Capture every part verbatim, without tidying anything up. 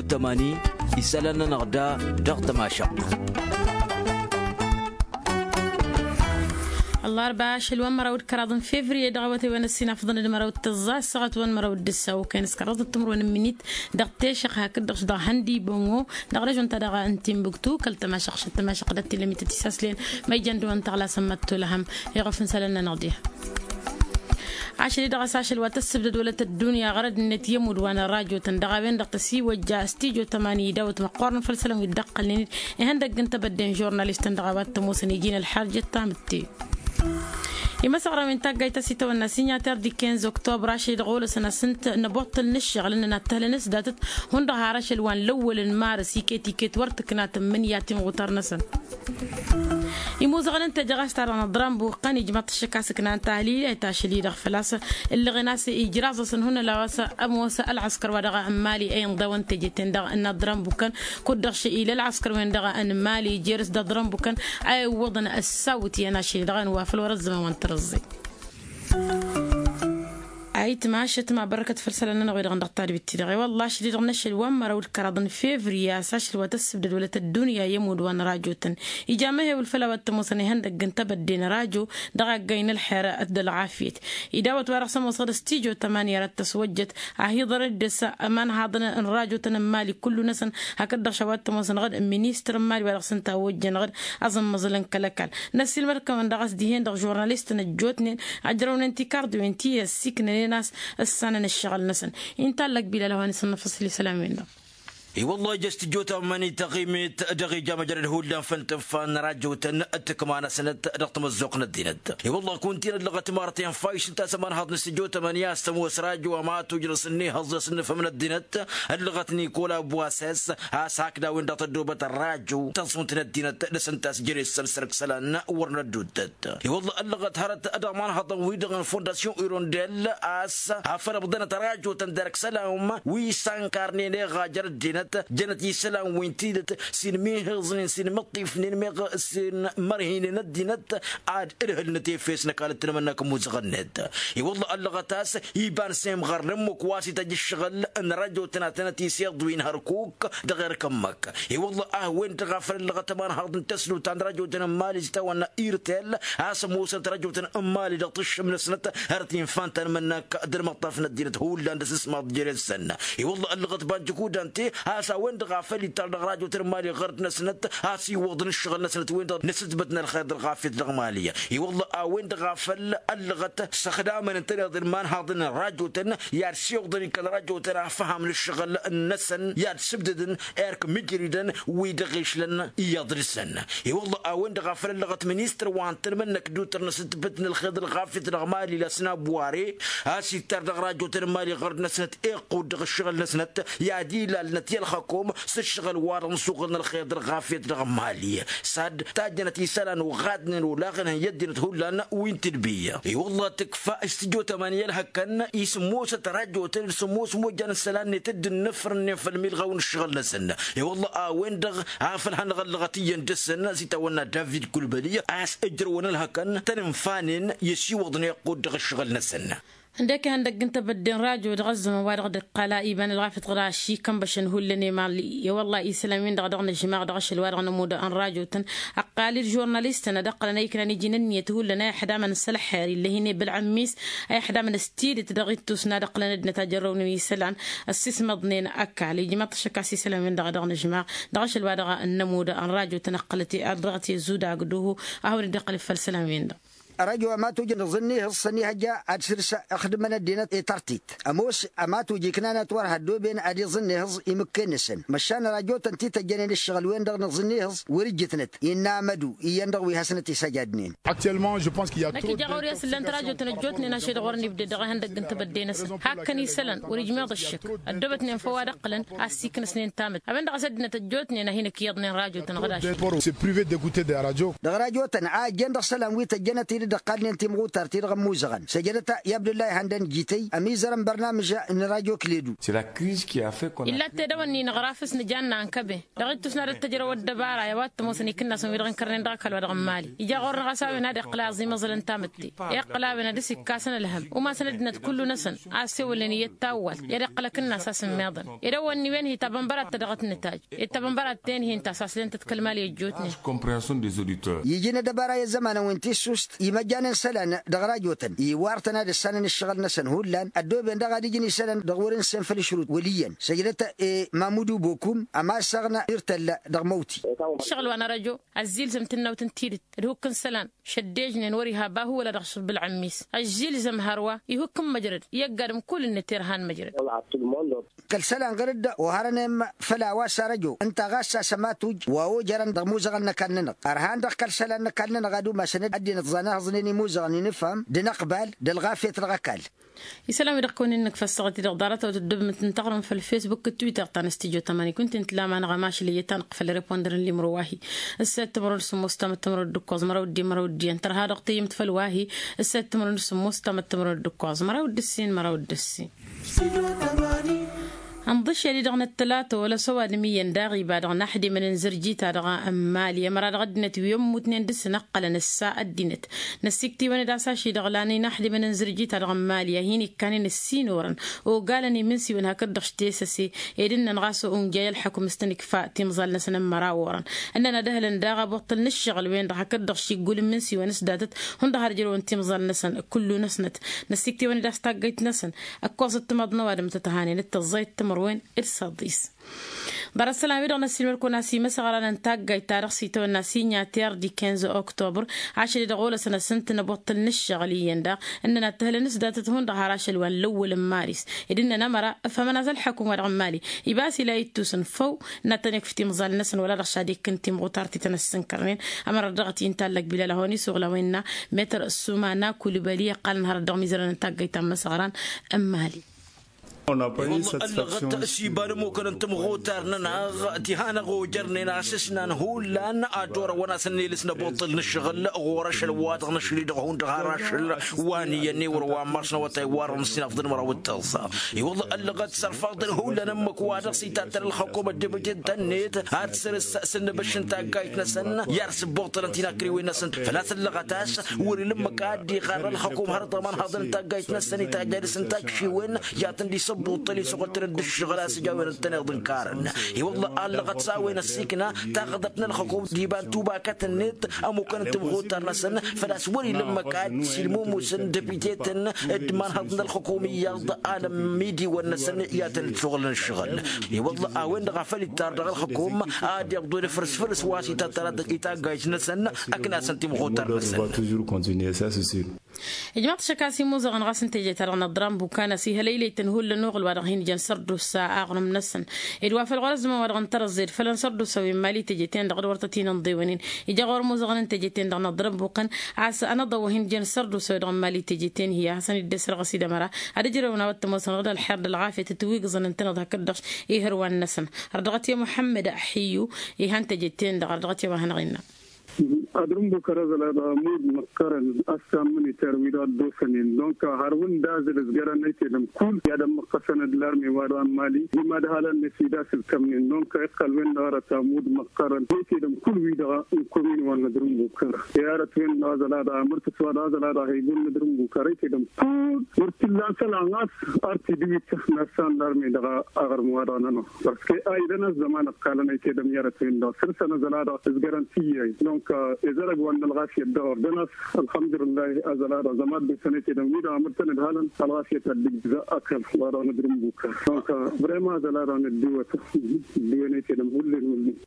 Tămani isălan-nănăɣ da dăɣ-tămašăɣt. Ăllarba ašăl wa n-măraw d-kăraḍ n-fevriye dăɣ-awătay wa n-ăssinafḍăn d-măraw d-tăẓẓa ăssaɣăt wa n-măraw d-ǝssa okăyăn s-kăraḍ d-timǝrwen n-minit dăɣ-tešăɣ hakd-dăɣ s-dăɣ-hăndibăngo dăɣ-režon-ta-dăɣ n-timbuktu kăl-tămašăɣ šăt tămašăɣ d-ăttilămit tisaslen ma ijăn dăɣ-wăn tăɣlasăn măttolăhăm. Iɣăf n-isălan-nănăɣ diha. Ašăl-i-dăɣ a-s ašăl wa tăssǝbdăd wălăt ăddunya ɣărăd-net i-ămudd wa n-ărrajo-tăn dăɣ-a-wen-dăɣ tăsiwăjja s-tijo tămani idawăt măqqoorăn făll-isălan wi dd-ăqqălnen-dd ihăndăgg n-tebădde n-žurnalistăn dăɣ-a-wa t-ămoosăn iji n-ălxarjăt tamǝtte. Imăsăɣran wi n-taggayt ta s-itawănna signataire di kinz oktobăr ašăl-i-dăɣ olăsăn a-s ǝnta n-ăboṭṭăl n-ǝššăɣǝl ǝnnăn ad-tăhlănăs datăt hundăɣ har ašăl wa n-lăwwăl n-marǝs iket-iket wăr tǝknatăn imǝnyaten ɣutar-năsăn. Imuzăɣăn n-teje ɣas ta-dăɣ n-aḍran buqqăn ijmaḍ-t ăššăk a-s ǝknan tahlil i-tašăl-i-dăɣ făl-a-s ǝllăɣen a-s ijraẓ-asăn hunălaw a-s ămoos ălɣăskăr wa dăɣ-n mali a inḍawăn teje-ten-dăɣ n-aḍran bukkăn kud-dăɣ šăy ila ălɣăskăr-wen-dăɣ n-mali jer-s d-aḍran bukkăn a iwwăḍăn ăssawǝt iyyăn ašăl-i-dăɣ a inwa făl wăr-ăzzăman wa n-tărǝẓẓe. Ayǝtma ašăt ma bărkăt făll-isălan-nănăɣ wi-dăɣ dăɣ-tadbit-ti-dăɣ i-wălla ašăl-i-dăɣ n-ašăl wa n-măraw d-kăraḍ n-fevriye a-s ašăl wa tăssǝbdăd wălăt ăddunya i-ămudd wa n-rajo-tăn ija mehewǝl făll-a-wa t-ămoosăn ihăndăgg n-tebădde n-rajo dăɣ-aggay n-ălxer d-ălɣafyăt. Idawăt wa dăɣ-s ămoosăɣ d-stijo tămani ara t-ăswăjjăt a hi-iḍărăd dăr-s ămanhaḍăn n-rajo-tăn n-mali kullu-năsăn hakd-dăɣ šăwat tămoosănăɣ-dd ministăr n-mali wa dăɣ-s ǝnta a ojjănăɣ-dd aẓǝmmăẓǝl n-kăl-ăkall. Năssiilmăd-kăwăn dăɣ-s dihen-dăɣ žurnalist n-ăjjootnen ăjrăwnen tikarḍiwen ti ăssiiknănen a-s ǝssanăn ǝššăɣǝl-năsăn. Intallăk bilal a-wa n-isǝnnăfăṣ l-isălan-wen-dăɣ. I-wăllah ija s-tijot ămmăni tăɣimet dăɣ-ija măjrăd hullan făll-tǝnfa n-rajotăn d-tǝkma-năsnăt dăɣ-tamăzzuɣt n-ăddinăt. I-wăllah kunta-in ăllăɣăt imarăten fayš ǝnta a-s ămanhăḍ n-sijot ămăni a-s tămoos rajo a ma tujrăs ǝnnihăẓ i-asǝnnǝfăm n-ăddinăt ăllăɣăt nikola buases a-s hakd a-wen-dăɣ tăddoobăt ălrajo tăẓunt n-ăddinăt dăr-s ǝnta a-s jere-s săl săr-ǝksălan wăr nădduttăt. I-wălla ăllăɣăt hărăt dăɣ-imanhăḍăn-wi-dăɣ n-fondasyon irondel a-s afăl ǝbḍănăt rajotăn derk isălan wi s-ankarnen eɣa jer-ăddinăt jănăt isălan wi n-tidǝt s-inmihiẓnen s-inmǝṭṭifnen meɣ s-inmărhinen ăddinăt ad-ǝlhǝlnăt efes n-ăkall d-tinmănnak n-imuzăɣ-net. I-wălla ăllăɣăt a-s iba n-semɣar n-ǝmmǝk wa s-ităjj ǝššăɣǝl n-rajotăn ad-tănăt-isiḍwi n-hărkuk dăɣ-erk ǝmmǝk. I-wălla a-wen-dăɣ a făl ăllăɣăt ămanhăḍ n-tăslut ta n-rajotăn n-mali s-itawănna irtel a-s ămoosănăt rajotăn n-mali dăɣ-tǝššǝm-năsnăt hărăt-infan tanmănnak d-ălmăṭṭaf n-ăddinăt hullan d-asǝsmaḍ jere-săn. I-wălla ăllăɣăt banjǝk udante a-s a-wen-dăɣ a făl ittar dăɣ-rajotăn n-mali ɣărăt-năsnăt a-s iwwăḍăn ǝššăɣǝl-năsnăt wen-dăɣ nǝsǝtbătnen ălxer d-ălɣafyăt dăɣ-mali. I-wălla a-wen-dăɣ a făl ăllăɣăt s-ăxdamăn ǝntăneḍ d-imanhăḍăn n-rajotăn i-ad-siwǝḍăn ikăl rajotăn a făham n-ǝššăɣǝl-năsăn i-ad-sǝbdǝdăn erk mǝjridăn wi dăɣ-išlăn iyyăḍ dăr-săn. I-wălla a-wen-dăɣ a făl ăllăɣăt ministăr wa n-tanmănnăk d-utăr n-asǝtbǝt n-ălxer d-ălɣafyăt dăɣ-mali lasnabware a-s ittar dăɣ-rajotăn n-mali ɣărd-năsnăt iqqud dăɣ-ǝššăɣǝl-năsnăt i-ad-ilalnăt i-ălxăkom s-ǝššăɣǝl-wa-dăɣ n-asuɣǝl n-ălxer d-ălɣafyăt dăɣ-mali. S-ad-tajjănăt isălan oɣadnen olaɣăn ǝhǝn i-ăddinăt hullan wi n-tǝdbiyya. I-wălla tǝkfa s-tijot ămani ălhăkkăn isǝmmosăt rajotăn d-sǝmmos mojjan n-isălan-net dd-ǝnnǝfrǝnnen făll-milɣaw n-ǝššăɣǝl-năsăn. I-wălla a-wen-dăɣ a făl hanăɣ-ăllăɣăt iyyăn dăr-săn s-itawănna david kulbăli a-s ǝjrăwăn ălhăkkăn tăn-ǝnfanen i-ăsiwăḍnen iqqud dăɣ-ǝššăɣǝl-năsăn. Ǝndek ihăndăgg n-tebădde n-rajo dăɣ-ăzzăman wa dăɣ-dd-iqqal a iba n-ălɣafyăt ɣur-ašikăn băšăn hullan i-mali. I-wălla isălan-win-dăɣ a dăɣ-nǝžmaɣ dăɣ-ašăl wa dăɣ-nămudd n-rajotăn ăqqal-dd žurnalistăn ad-ăqqălăn a iknan iji n-ǝnniyăt hullan a ixdamăn s-ălxer ill'-e hin-e bălɣǝmmis a ixdamăn s-tidǝt dăɣ-ittus n-ad-ăqqǝlăn ăddinăt a jărrăwnen isălan ăssismăḍnen ăkall ijmaḍ-t ăššăk a-s isălan-win-dăɣ a dăɣ-nǝžmaɣ dăɣ-ašăl wa dăɣ-nămudd n-rajotăn ăqqălăt-e ad-dăɣ-t i-ăzzudagdăhu a hawăn-dd-iqqăl făll-isălan-win-dăɣ. Ărăjo a ma tujăn iẓǝnnihǝẓ s-ănihăjja ad-sǝrs ixdǝmăn ăddinăt i-tărtit ămoos a ma tuj iknanăt wăr hăddoben ad-iẓǝnnihǝẓ imǝkken-năsăn măšan ărajotăn ti tăjjănen ǝššăɣǝl-wen-dăɣ n-iẓǝnnihǝẓ wăr-ǝjjǝtnăt innă amădu iyyăn-dăɣ wi hasnăt-isăjadnen. Năkk ija ɣur-i a-s ǝllan tărajotăn ăjjootnen ašăl-i-dăɣ wăren ibdăd dăɣ-ihăndăgg n-tebădde-năsăn hakkăn isălan wăr-ijmeḍ ǝššǝk ăddoobătnen făw ad-ăqqǝlăn ad-siknăsnen tamǝt a-wen-dăɣ a-s ăddinăt ăjjootnen a hin-ǝkkiyyăḍnen rajotăn ɣǝd ašăl. Dăɣ-rajotăn a ăjjeen dăɣ-isălan wi tăjjănăt-dd dăɣ-kallnen timɣutar-ti-dăɣ ămmuzăɣăn săjdăt i-abdullah ihăndăn jităy ămizărăn bărnamǝža n-radyo kledu. Illa t-edăwănni năɣrafǝs nǝjanna ănkăbe dăɣ-ittus n-ad-ăttăjrăw ăddăbara i-a-wa t-ămoosăn ikǝnnasăn wi-dăɣ ǝnkărnen dăɣ-ăkall wa dăɣ-ămmali. Ija ɣur-năɣ a-s a-wen ad-iqqǝl aẓimăẓăl n-tamǝtte iqqǝl a-wen ad-dăr-s ikkasăn ălhăm umasăn ăddinăt kullu-năsăn a ăssewălnen iyyăt tawwalt i-ad-iqqǝl akǝnnas a-s ǝmmiḍăn. Edăwănni-wen hi-tabănbărat ta dăɣ-t nǝtaj ed tabănbărat-ten-hi ǝnta a-s aslen-tăt kăl-mali ăjjootnen. Iji n-ăddăbara i-ăzzămanăn wi n-tissust imăjjan n-isălan dăɣ-rajotăn iwartăn ad-ǝssanăn ǝššăɣǝl-năsăn hullan ăddooben daɣ ad-ǝjǝn isălan dăɣ-wăr-ǝnsen făll-ăšrut wăl' iyyăn săjdăt i-mamudu bokum ămasăɣna irtălla dăɣ-măwti. Ǝššăɣǝl wa n-arăjo ăzzilzăm tǝnnawt n-tidǝt d-hukk n-isălan šăddejnen wăr-iha bahu wăla dăɣ-ašǝbbǝl ămmis ăzzilzăm hărwa ihukk n-măjrăd i-ăgg-adǝm kull-net irhan măjrăd. Kăl-isălan ɣur-dd oharănen făll-a-wa s-arăjo ǝnta ɣas a-s ămatuj wa ojărăn dăɣ-imuzăɣăn n-ăkall-nănăɣ ărhan-dăɣ kăl-isălan n-ăkall-nănăɣ ad-umasăn ăddinăt ẓan ihăẓnen imuzăɣăn inǝfham d-inăqbal d-ălɣafyăt dăɣ-ăkall. Isălan-wi-dăɣ kăwăn-in-nǝkfa ăssaɣăt-i-dăɣ ḍarăt a-wa tǝddǝbǝm d-tǝntăɣrǝm făll-fesbuk d-twitter ta n-ăstijjo tămani kunta-in tǝla ma-năɣ ămašăl iyyăt-anăɣ făll-repondăr n-limro wa-hi. Ǝssa d-timărwen d-sǝmmos tamăt timărwen d-ǝkkoẓ măraw d-di măraw d-iyyăn tărha dăɣ-tăyyǝmt făll-wa-hi. Ǝssa d-timărwen d-sǝmmos tamăt timărwen d-ǝkkoẓ măraw d-ǝssin măraw d-ǝssin. Ănḍǝššel-i-dăɣ n-ăttălata olăs ăwadǝm iyyăn daɣ iba dăɣ-inaxdimăn n-zărjita dăɣ-ămmali ămăra dăɣ-ăddinăt wi ămmutnen dăr-săn ǝqqălăn ǝssa ăddinăt. Năssikt'-iwăn-dd a-s ašidăɣlan inaxdimăn n-zărjita dăɣ-ămmali a hin-ikkanen ǝssin orăn ogalăn imǝnsiwăn hakd-dăɣ s-tesăse ed ǝnnăn ɣas unjay ălxăkum s-tăn-ikfa timẓal-năsăn n-măraw orăn. Ǝnnăn ad-ăhlăn daɣ abuṭṭǝl n-ǝššăɣǝl-wen-dăɣ hakd-dăɣ s-iggul n-imǝnsiwăn s-datăt hundăɣ har ǝjrăwăn timẓal-năsăn. Kullu-năsnăt năssikt'-iwăn-dd a-s taggăyt-năsăn ǝkkoẓăt timaḍ n-ăwadǝm tăt-ăhanen d-tăẓẓayăt timărwen d-săḍis. Ḍarăt isălan-wi-dăɣ n-ăssiilmăd-kăwăn a-s imăsăɣra n-taggayt-ta-dăɣ s-itawănna s-inya terdi kinze oktober. Ašăl-i-dăɣ olăsăn a-s ǝntǝn ăbuṭṭǝl n-ǝššăɣǝl iyyăn daɣ ǝnnăn ad-t-ăhlăn s-datăt hundăɣ har ašăl wa n-lăwwăl n-maris ed ǝnnăn ămăra ăfhămăn a-s ălxăkum-wa-dăɣ n-mali ibas ila ittus n-făw n-ad-tăn-ikf timẓal-năsăn wăla dăɣ-s ad-ikkǝn timɣutar ti tăn-ăssǝnkărnen. Ămăra dăɣ-t intallăg bilal a hawăn-isuɣǝl a-wen n-metăr sumana kulbăli ăqqalăn hărăt dăɣ-mizărăn n-taggayt ta n-imăsăɣra n-mali. Ăllăɣăt s-iba d-ămmukăn n-timɣutar-nănăɣ ti hanăɣ-ojărnen a-s ǝsnan hullan ad-orăwăn a-s ănnelǝs n-abuṭṭǝl n-ǝššăɣǝl ɣur-ašăl wa dăɣ-năšli dăɣ-hundăɣ har ašăl wa n-iyyăn ewăr wa n-mars n-awătay wa dăɣ-nǝssin afḍăn măraw d-tăẓẓa. I-wălla ăllăɣăt s-ărfaḍăn hullan ǝmmǝk wa dăɣ-s itattăn ălxăkum ăddăbăjed-tăn-net ad-săr-s s-ǝnnǝbăš n-taggayt-năsăn i-ad-sǝbbuṭṭălăn tinakriwen-năsăn făl-a-s ăllăɣăt a-s wăr-ila ǝmmǝk a dd-iɣarr ălxăkum hărăt ămanhăḍ n-taggayt-năsăn itajj ad-dăr-s n-takšiwen. I-ad-tăn-dd-isǝbbuṭṭăl isuɣǝl-tăn-dd ǝššăɣǝl a-s ǝja a-wen ǝntăneḍ ǝnkarăn. I-wălla a ăllăɣăt s-a-wen ăssiikna taɣḍăbt n-ălxăkum d-iba n-tubakăt-net ămmukăn n-timɣutar-năsăn făl-a-s wăr-ila ǝmmǝk a dd-silmumusăn dăbitetăn d-imanhăḍ n-ălxăkum iyyăḍ alămm idiwăn-năsăn i-ad-tăn-dd-suɣǝlăn ǝššăɣǝl. I-wălla a-wen-dăɣ a făl ittar dăɣ-ălxăkum ad-iḍḍu d-afrǝs făll-s wa s-itattăr ad-dd-itaggayt-năsăn ăknasăn timɣutar-năsăn. Ijmaḍ-t ašăk a-s imuzăɣăn ɣas n-teje-ta-dăɣ n-aḍra n-bukan a-s ihălăylăy-tăn hullan uɣǝl wa dăɣ-hin-jăn sărdusa aɣrǝm-năsăn ed wa făl ɣur-ăzzăman wa dăɣ-n tărăẓẓed făll-ănṣărdusa wi n-mali teje-ten-dăɣ d-wăr tăt-in-ǝnḍewănen. Ija ɣur-imuzăɣăn n-teje-ten-dăɣ n-aḍra n-bukan a-s anăḍăw wa hin-jăn sărdusa wi dăɣ-n mali teje-ten-hi a hasăn-dd-esrăɣ s-idămăra ad-ǝjrăwăn a-wa t-ămoosăn ɣǝd ălxer d-ălɣafyăt ătwǝgǝẓăn ǝntăneḍ hakd-dăɣ ihărwan-năsăn. Ărdăɣăt i-muḥămmăd ăḥiyyu ihan teje-ten-dăɣ ărdăɣăt i-wa hanăɣ-innă. Adrǝm bukăr ăzăl ad-amud măqqărăn ăssan mǝniter wi-dăɣ ăddosănen donc har wǝnn d-azǝl ǝzgărăn ăytedăm kull i-ad-ămmăqqăsăn d-larme wa dăɣ-n mali i-mad-halăn-net wi d-asǝlkămnen donc iqqăl-wen-dăɣ arăt amud măqqărăn ăytedăm kull wi-dăɣ n-komin wa n-adrǝm bukăr. I-arăt-wen-dăɣ ăzăl ad-amur tǝswa dăɣ-ăzăl ad-ahăygun n-adrǝm bukăr ăytedăm kull wăr t-illa n-isălan ɣas ar t-idǝwit n-ăssan larme dăɣ-aɣrǝm wa dăɣ-nănăɣ. Parce que a idăn ăzzăman ăqqalăn ăytedăm i-arăt-wen-dăɣ săr-săn ăzăl ad-dăɣ s-gărăn tiyyăy donc ezărăg wa n-ălɣafyăt dăɣ-ărdănas. Ălxămdulǝllah ăzăl ad-dăɣ zăma ăddosăn ăytedăm wi-dăɣ amǝrtăn d-halăn ălɣafyăt ad-dd-ǝjzăɣ ăkall wa dăɣ-nǝdrǝm bukăr donc vraiment ăzăl ad-dăɣ nǝddiwăt ǝddiwen ăytedăm hullen hullen.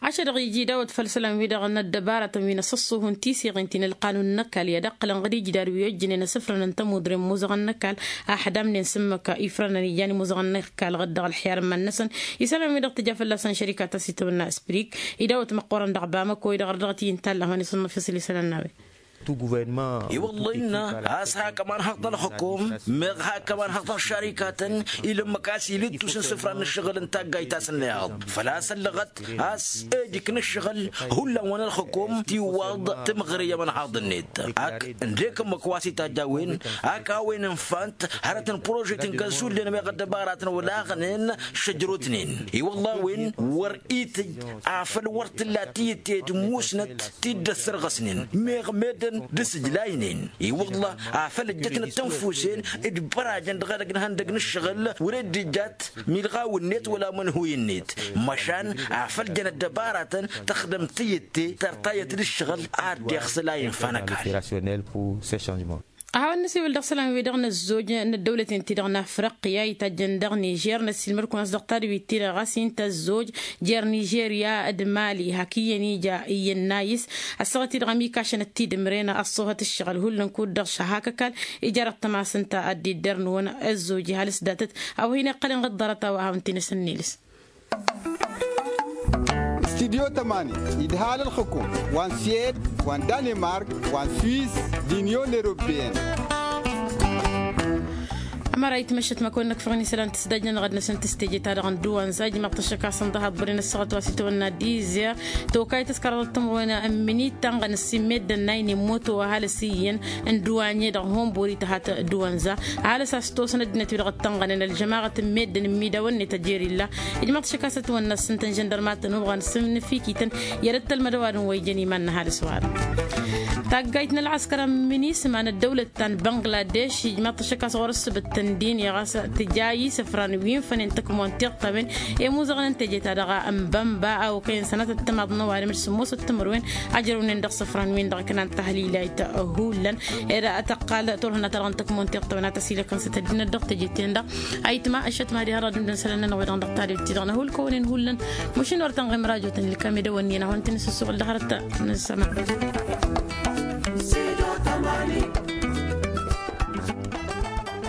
Ašăl-dăɣ iji dawăt făll-isălan-wi-dăɣ n-ăddăbarătăn wi n-asǝṣṣuhun tiseɣen ti n-ălqanun n-ăkall i-ad-ǝqqǝlăn ɣǝd ijdad wi ojjănen asǝfrăn n-tămudre n-imuzăɣăn n-ăkall a ăḥdamnen s-ǝmmǝk ifrănăn ijan imuzăɣăn n-ăkall ɣǝd dăɣ-ălḥer n-iman-năsăn. Isălan-wi-dăɣ tǝja fălla-săn šărika ta s-itawănna sprik idawăt măqqoorăn dăɣ-bamăko-i-dăɣ ărdăɣăt-i n-talla a hawăn-isǝnnăf isǝl isălan n-a-wen. I-wălla innă a-s hak ămanhăḍ n-ălxukum meɣ hak ămanhăḍ n-ăššarikatăn ila ǝmmǝk a-s ilǝttus n-isǝfran n-ǝššăɣǝl n-taggayt a-s ǝnneɣ. Făl-a-s ăllăɣăt a-s ejǝk n-ǝššăɣǝl hullan wa n-ălxukum tiwwaḍ timɣări i-ămanhăḍ-net. Ak ǝndek ǝmmǝk wa s-itajj a-wen ak a-wen ǝnfant hărăt n-prožet n-găzullen meɣ ăddăbaratăn wălaɣnen šăjrotnen. I-wălla a-wen wăr-itǝjj afăl wăr t-tǝlla tiyǝtte d-musnăt ti dd-ăssărɣăsnen meɣ meddǝn d-asǝjlaynen. I-wălla afăl ǝjjătnăt tănfusen d-bărajăn dăɣ-edăgg n-ihăndăg n-ǝššăɣǝl wăr-e dd-ijjat milɣaw-net wăla mănhuy-net. Măšan afăl jăn ăddăbaratăn tăxdăm tiyǝtte tărtayăt d-ǝššăɣǝl a dd-iɣsǝl a infa n-ăkall. A hawăn-nǝsiwǝl dăɣ-isălan-wi-dăɣ n-ăzzoj n-ăddăwlăten-ti-dăɣ n-afriqya itajjăn dăɣ-nižer năssiilmăd-kăwăn a-s dăɣ-tadwit-ti-dăɣ ɣas int' ăzzoj jer-nižerya d-mali hak iyyăn ija iyyăn n-ayǝs. Ăssaɣăt-i-dăɣ ămikašăn ăttidǝmren ăṣṣoohăt ǝššăɣǝl hullan kud-dăɣ šăhak ăkall. Ija dăɣ-tămasăn ta ăddiddăr-năwăn ăzzoj ihal s-datăt a-wa hin-iqqălăn ɣǝḍḍărăt a-wa hawăn-t-in-asăn n-ilǝs. Studyo tămani idhal ălxǝkum wa n-siyed wa n-danimark wa n-swis d-inyon eropeyăn. Ămăra itmăššăt măkăwăn nǝkfăɣ n-isălan tǝsdajnăn ɣăd-năsăn tǝstejeta dăɣ-n duwanza ijmaḍ-t ăššăk a-s ǝnḍăhăḍ băren ăssaɣăt wa s-itwănna dizzer tokayt ăskăraḍăt tămrăwen n-minit ta n-ɣănăs immedden n-a inǝmmoto ăhalǝs iyyăn n-duwanye dăɣ-honbori tăhat duwanza. Ăhalǝs a-s tosăn ăddinăt-wi-dăɣ ăttănɣănen ălžămaɣăt n-meddǝn n-imidawăn-net ăjer illa. Ijmaḍ-t šăkasăt wănnăs ǝnta n-žăndărmatăn ubɣan s-ǝmnǝfikităn i-ad-ăttălmăd ăwadǝm wa ijăn iman n-ăhalǝs wa-dăɣ. Taggayt n-ălɣăskăr ămminisma n-ăddăwlăt ta n-băngladeš ijmaḍ-t šăkas ɣur-ăssǝbǝt tǝndin i-ɣas tǝja isǝfran wi n-fănen tăkmon tiɣtăwen i-muzăɣăn n-teje-ta-dăɣ n-bănba a okăyăn sănatăt timaḍ n-ăwadǝm d-sǝmmosăt timǝrwen. Ajrăwnen dăɣ-isǝfran-win-dăɣ kănan tăhlilayt hullan. Ed a tăqqal turhǝnna-ta-dăɣ n-tăkmon tiɣtăwen a tăsilăkăn s-tăddinăt dăɣ-teje-ten-dăɣ. Ayǝtma ăššăt mad-iha dăɣ-ad-ǝndǝn isălan-nănăɣ-wi-dăɣ dăɣ-tadwit-ti-dăɣ n-ahulkăwăn-in hullan. Măšin wăr tănɣim rajotăn ilkam edăwănni-năhăn tăn-isǝssuɣǝl dăɣ-hărăt. Nǝsăma.